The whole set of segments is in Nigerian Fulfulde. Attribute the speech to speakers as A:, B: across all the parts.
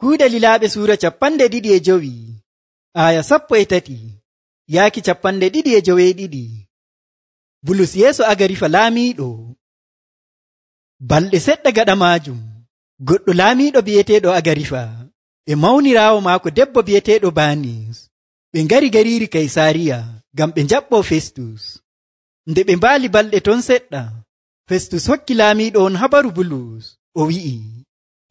A: Kuuɗe Lilaaɓe suura 25 aya 13 yaaki 22. Bulus yeeso Agarifa laamiiɗo. Balɗe seɗɗa gaɗa maajum goɗɗo laamiiɗo bi'eteeɗo Agarifa e mawniraawo maako debbo bi'eteeɗo Baanis ɓe ngari gariiri Kaysaariya ngam ɓe njaɓɓoo Festus. Nde ɓe mbaali balɗe ton seɗɗa, Festus hokki laamiiɗo on habaru Bulus o wi'i,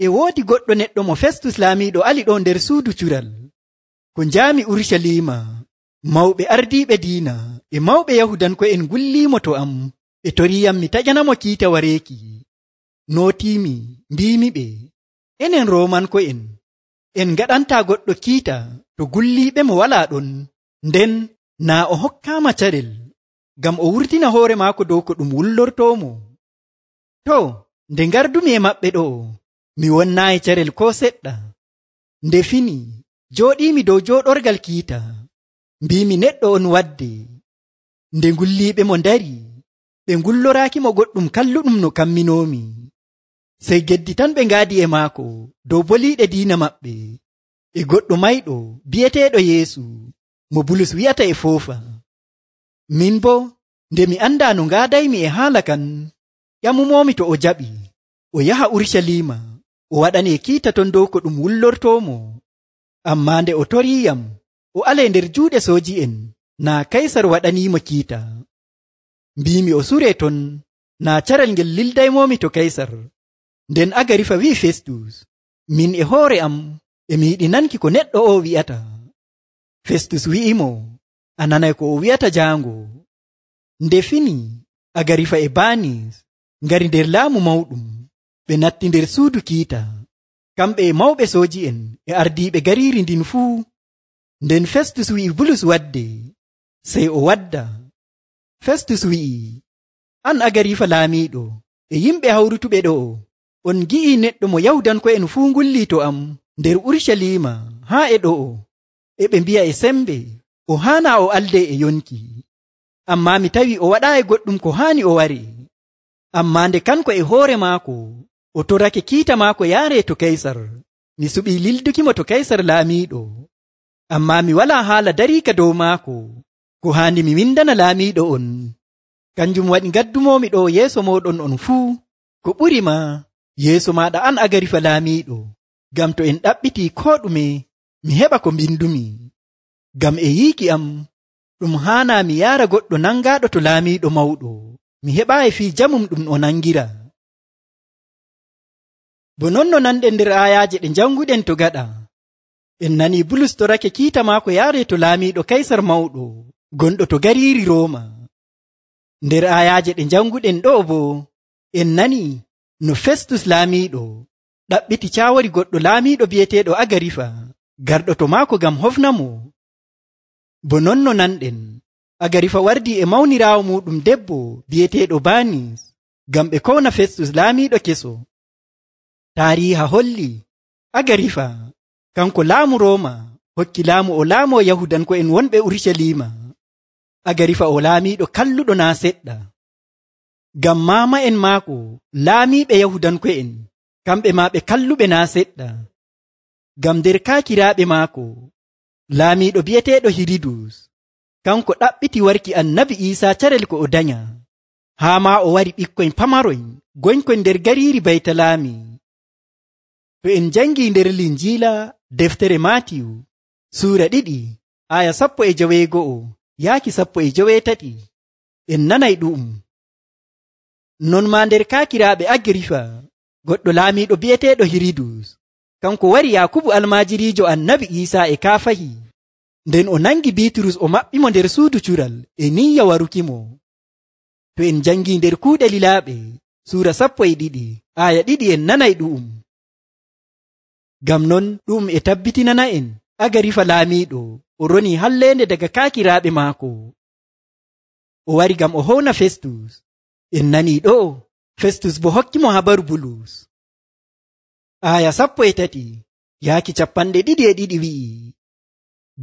A: e woodi goɗɗo neɗɗo mo Festus laamiiɗo ali ɗo nder suudu cural. Ko njaami Urucaliima, mawɓe ardiiɓe diina e mawɓe Yahudanko'en ngulliimo to am ɓe toriiyam mi taƴanamo kiita wareeki. Nootiimi mbiimiɓe, enen Roomanko'en en ngaɗantaa goɗɗo kiita to gulliiɓe mo walaa ɗon, nden naa o hokkaama carel ngam o wurtina hoore maako dow ko ɗum wullortoomo. To, nde ngardumi e maɓɓe ɗo, mi wonnaayi carel koo seɗɗa. Nde fini jooɗiimi dow jooɗorgal kiita, mbiimi neɗɗo on wadde. Nde ngulliiɓe mo ndari, ɓe ngulloraakimo goɗɗum kalluɗum no kamminoomi. Sey geddi tan ɓe ngaadi e maako dow boliiɗe diina maɓɓe e goɗɗo mayɗo bi'eteeɗo Yeesu mo Bulus wi'ata e foofa. Min boo nde mi andaa no ngaadaymi e haala kan, ƴamumoomi to o jaɓi o yaha Urucaliima o waɗanee kiita ton dow ko ɗum wullortoomo. Ammaa nde o toriiyam o alee nder juuɗe sooji'en, naa Kaysar waɗaniimo kiita. Mbiimi o suree ton, naa carel ngel lildaymomi to Kaysar. Nden Agarifa wi'i Festus, min e hoore am e mi yiɗi nanki ko neɗɗo o wi'ata. Festus wi'imo, a nanay ko o wi'ata jaango. Nde fini Agarifa e Baanis ngari nder laamu mawɗum, ɓe natti nder suudu kiita, kamɓe e mawɓe sooji'en e ardiiɓe gariiri ndin fuu. Nden Festus wi'i Bulus wadde, sey o wadda. Festus wi'i, an Agarifa laamiiɗo e yimɓe hawrutuɓe ɗo, on gi'ii neɗɗo mo Yahudanko'en fuu ngullii to am nder Urucaliima haa e ɗo'o, e ɓe mbi'a e sembe o haanaa o aldee e yonki. Ammaa mi tawi o waɗaayi goɗɗum ko haani o ware. Ammaa nde kanko e hoore maako o torake kiita maako yaaree to Kaysar, mi suɓii lildukimo to Kaysar laamiiɗo. Ammaa mi walaa haala dariika dow maako ko haandi mi windana laamiiɗo on. Kanjum waɗi ngaddumoomi ɗo yeeso mooɗon on fuu, ko ɓuri ma yeeso maaɗa an Agarifa laamiiɗo, ngam to en ɗaɓɓitii koo ɗume mi heɓa ko mbindumi. Ngam e yiiki am ɗum haanaa mi yaara goɗɗo nangaaɗo to laamiiɗo mawɗo, mi heɓaayi fii jamum ɗum o nangira. Bo non no nanɗen nder aayaaje ɗe janguɗen to gaɗa, en nanii Bulus torake kiita maako yaaree to laamiiɗo Kaysar mawɗo gonɗo to gariiri Rooma. Nder aayaaje ɗe janguɗen ɗo boo en nanii no Festus laamiiɗo ɗaɓɓiti caawori goɗɗo laamiiɗo bi'eteeɗo Agarifa garɗo to maako ngam hofnamo. Bo non no nanɗen Agarifa wardii e mawniraawo muɗum debbo bi'eteeɗo Baanis ngam ɓe kowna Festus laamiiɗo keso. Taariiha holli Agarifa kanko laamu Rooma hokki laamu o laamoo Yahudanko'en wonɓe Urucaliima. Agarifa o laamiiɗo kalluɗo naa seɗɗa. Ngam maama'en maako laamiiɓe Yahudanko'en kamɓe maa ɓe kalluɓe naa seɗɗa. Ngam nder kaakiraaɓe maako laamiiɗo bi'eteeɗo Hiridus kanko ɗaɓɓiti warki Annabi Iisaa carel ko o danya, haa maa o wari ɓikkoy pamaroy goñkoy nder gariiri Baytalaami. To en jangii nder Linjiila deftere Maatiyu suura 2 aya 19 yaaki 18 en nanay ɗu'um. Non maa nder kaakiraaɓe Agarifa goɗɗo laamiiɗo bi'eteeɗo Hiridus kanko wari Yaakubu almaajiriijo Annabi Iisaa e kaafahi, nden o nangi Biiturus o maɓɓimo nder suudu cural e niyya warukimo. To en jangii nder Kuuɗe Lilaaɓe suura 12 aya 2 en nanay ɗu'um. Ngam non ɗum e tabbitinana en Agarifa laamiiɗo o ronii halleende daga kaakiraaɓe maako. O wari ngam o howna Festus. En nanii ɗo Festus bo hokkimo habaru Bulus. Aya 13 yaaki 22 wi'i,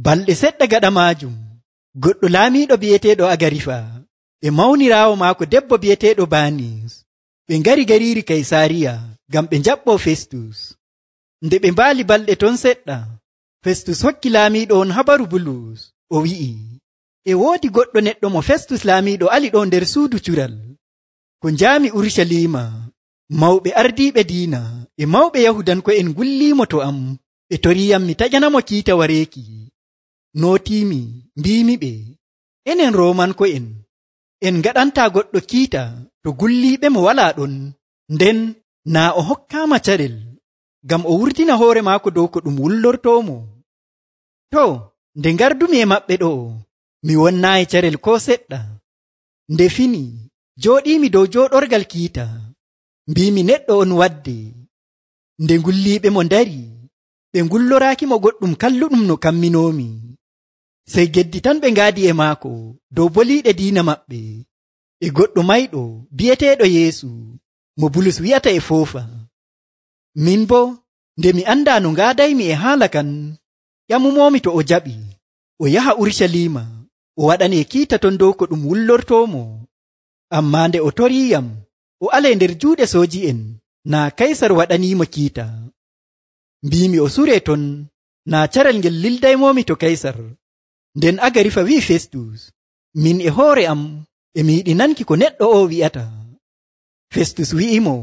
A: balɗe seɗɗa gaɗa maajum goɗɗo laamiiɗo bi'eteeɗo Agarifa e mawniraawo maako debbo bi'eteeɗo Baanis ɓe ngari gariiri Kaysaariya ngam ɓe njaɓɓoo Festus. Nde ɓe mbaali balɗe ton seɗɗa, Festus hokki laamiiɗo on habaru Bulus, o wi'i, e woodi goɗɗo neɗɗo mo Festus laamiiɗo ali ɗo nder suudu cural. Ko njaami Urucaliima, mawɓe ardiiɓe diina e mawɓe Yahudanko'en ngulliimo to am, ɓe toriiyam mi taƴanamo kiita wareeki. Nootiimi mbiimiɓe, enen Roomanko'en en ngaɗantaa goɗɗo kiita to gulliiɓemo walaa ɗon, nden naa o hokkaama carel ngam o wurtina hoore maako dow ko ɗum wullortoomo. To, nde ngardumi e maɓɓe ɗo, mi wonnaayi carel koo seɗɗa. Nde fini, jooɗiimi dow jooɗorgal kiita, mbiimi neɗɗo on wadde. Nde ngulliiɓemo ndari, ɓe ngulloraakimo goɗɗum kalluɗum no kamminoomi. Sey geddi tan ɓe ngaadi e maako dow boliiɗe diina maɓɓe e goɗɗo mayɗo bi'eteeɗo Yeesu mo Bulus wi'ata e foofa. Min boo, nde mi andaa no ngaadaymi e haala kan, ƴamumoomi to o jaɓi o yaha Urucaliima o waɗanee kiita ton dow ko ɗum wullortoomo. Ammaa nde o toriiyam o alee nder juuɗe sooji'en, naa Kaysar waɗaniimo kiita. Mbiimi o suree ton, naa carel ngel lildaymoomi to Kaysar. Nden Agarifa wi'i Festus, min e hoore am e mi yiɗi nanki ko neɗɗo o wi'ata. Festus wi'imo,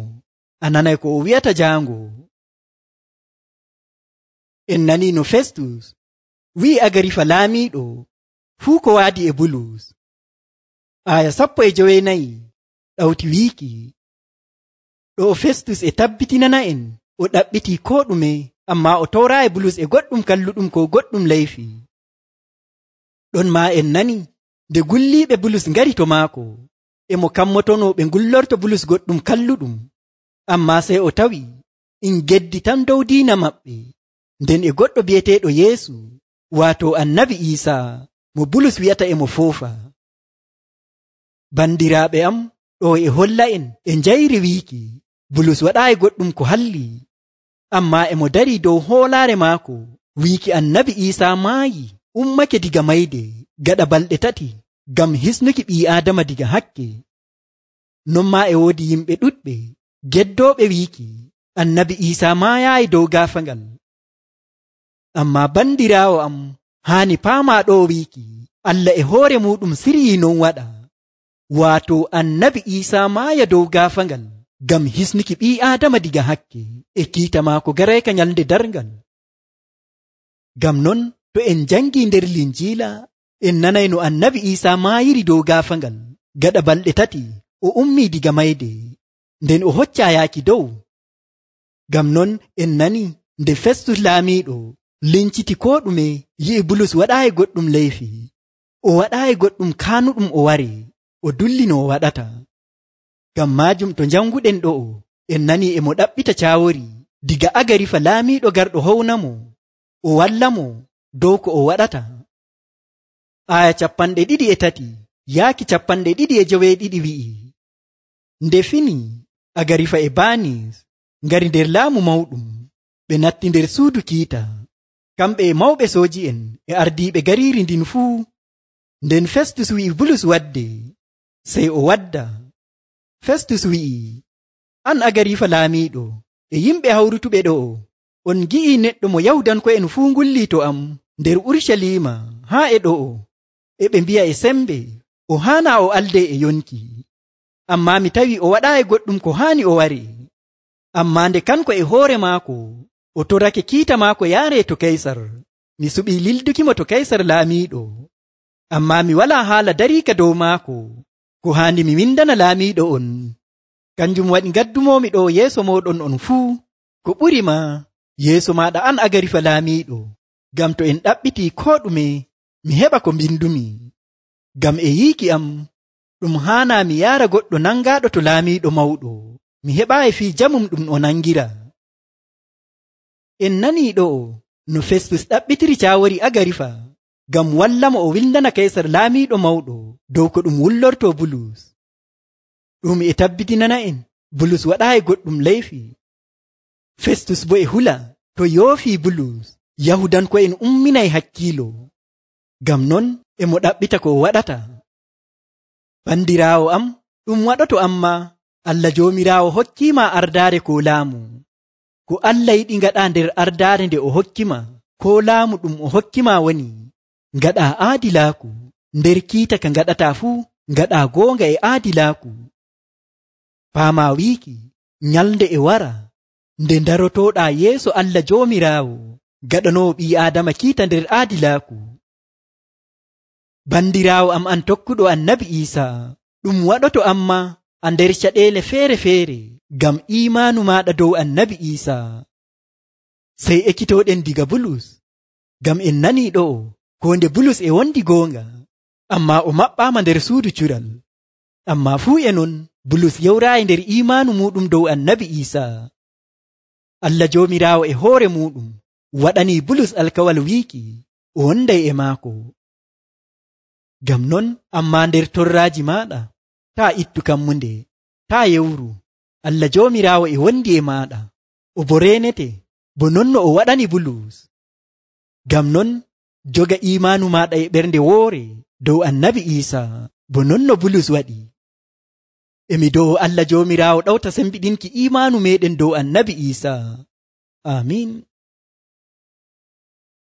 A: a nanay ko o wi'ata jaango. En nanii no Festus wi'i Agarifa laamiiɗo fuu ko waadi e Bulus. Aya 14 ɗawti wiiki, ɗo Festus e tabbitinana en o ɗaɓɓitii koo ɗume, ammaa o towraayi Bulus e goɗɗum kalluɗum ko goɗɗum leyfi. Ɗon maa en nani nde gulliiɓe Bulus ngari to maako, e mo kammotono ɓe ngullorto Bulus goɗɗum kalluɗum, ammaa sey o tawi in geddi tan dow diina maɓɓe, nden e goɗɗo bi'eteeɗo Yeesu, waato Annabi Iisaa mo Bulus wi'ata e mo foofa. Bandiraaɓe am, ɗo e holla en e njayri wiiki Bulus waɗaayi goɗɗum ko halli, ammaa e mo darii dow hoolaare maako wiiki Annabi Iisaa maayi ummake diga mayde gaɗa balɗe 3 ngam hisnuki ɓii Aadama diga hakke. Non maa e woodi yimɓe ɗuɗɓe geddooɓe wiiki Annabi Iisaa maayaayi dow gaafaangal. Ammaa bandiraawo am, haani paamaa ɗo wiiki Allah e hoore muɗum siryii non waɗa, waato Annabi Iisaa maaya dow gaafaangal ngam hisnuki ɓii Aadama diga hakke e kiita maako garayka nyalnde darngal. Ngam non to en jangii nder Linjiila, en nanay no Annabi Iisaa maayiri dow gaafaangal gaɗa balɗe 3 o ummii diga mayde, nden o hoccaa yaaki dow. Ngam non en nani nde Festus laamiiɗo linciti koo ɗume yi'i Bulus waɗaayi goɗɗum leyfi, o waɗaayi goɗɗum kaanuɗum o ware, o dulli no o waɗata. Ngam maajum to janguɗen ɗo'o, en nanii e mo ɗaɓɓita caawori diga Agarifa laamiiɗo garɗo hownamo, o wallamo dow ko o waɗata. Aya 23 yaaki 22 wi'i, nde fini Agarifa e Baanis ngari nder laamu mawɗum, ɓe natti nder suudu kiita, kamɓe e mawɓe sooji'en e ardiiɓe gariiri ndin fuu. Nden Festus wi'i Bulus wadde, sey o wadda. Festus wi'i, an Agarifa laamiiɗo e yimɓe hawrutuɓe ɗo'o, on gi'ii neɗɗo mo Yahudanko'en fuu ngullii to am nder Urucaliima haa e ɗo'o, e ɓe mbi'a e sembe o haanaa o aldee e yonki. Ammaa mi tawi o waɗaayi goɗɗum ko haani o ware. Ammaa nde kanko e hoore maako o torake kiita maako yaaree to Kaysar, mi suɓii lildukimo to Kaysar laamiiɗo. Ammaa mi walaa haala dariika dow maako ko haandi mi windana laamiiɗo on. Kanjum waɗi ngaddumoomi ɗo yeeso mooɗon on fuu, ko ɓuri ma yeeso maaɗa an Agarifa laamiiɗo, ngam to en ɗaɓɓitii koo ɗume mi heɓa ko mbindumi. Ngam e yiiki am ɗum haanaa mi yaara goɗɗo nangaaɗo to laamiiɗo mawɗo, mi heɓaayi fii jamum ɗum o nangira. En nanii ɗo no Festus ɗaɓɓitiri caawori Agarifa ngam wallamo o windana Kaysar laamiiɗo mawɗo dow ko ɗum wullortoo Bulus. Ɗum e tabbitinana en Bulus waɗaayi goɗɗum leyfi. Festus bo e hula to yoofii Bulus, Yahudanko'en umminay hakkiilo. Ngam non e mo ɗaɓɓita ko o waɗata. Bandiraawo am, ɗum waɗoto amma Allah Joomiraawo hokkiima ardaare ko laamu. ko Allah yiɗi ngaɗa nder ardaare nde o hokkima koo laamu ɗum o hokkima woni ngaɗa aadilaaku. Nder kiita ka ngaɗata fuu ngaɗa goonga e aadilaaku. Faama wiiki nyalnde e wara nde darotoɗa yeeso Allah Joomiraawo gaɗanowo ɓii Aadama kiita nder aadilaaku. Bandiraawo am an tokkuɗo Annabi Iisaa, ɗum waɗoto amma a nder caɗeele feere-feere ngam iimaanu maaɗa dow Annabi Iisaa. Sey ekkitoɗen diga Bulus, ngam en nanii ɗo'o ko nde Bulus e wondi goonga, amma o maɓɓaama nder suudu cural. Amma fuu e non Bulus yewraayi nder iimaanu muɗum dow Annabi Iisaa. Allah Joomiraawo e hoore muɗum waɗanii Bulus alkawal wiiki o wonday e maako. Ngam non amma nder torraaji maaɗa taa ittu kammunde, taa yewru. Allah Joomiraawo e wondi e maaɗa, o bo reenete bo non no o waɗani Bulus. Ngam non joga iimaanu maaɗa e ɓernde woore dow Annabi Iisaa bo non no Bulus waɗi. Emi dow Allah Joomiraawo ɗawta sembiɗinki iimaanu meɗen dow Annabi Iisaa. Amiin.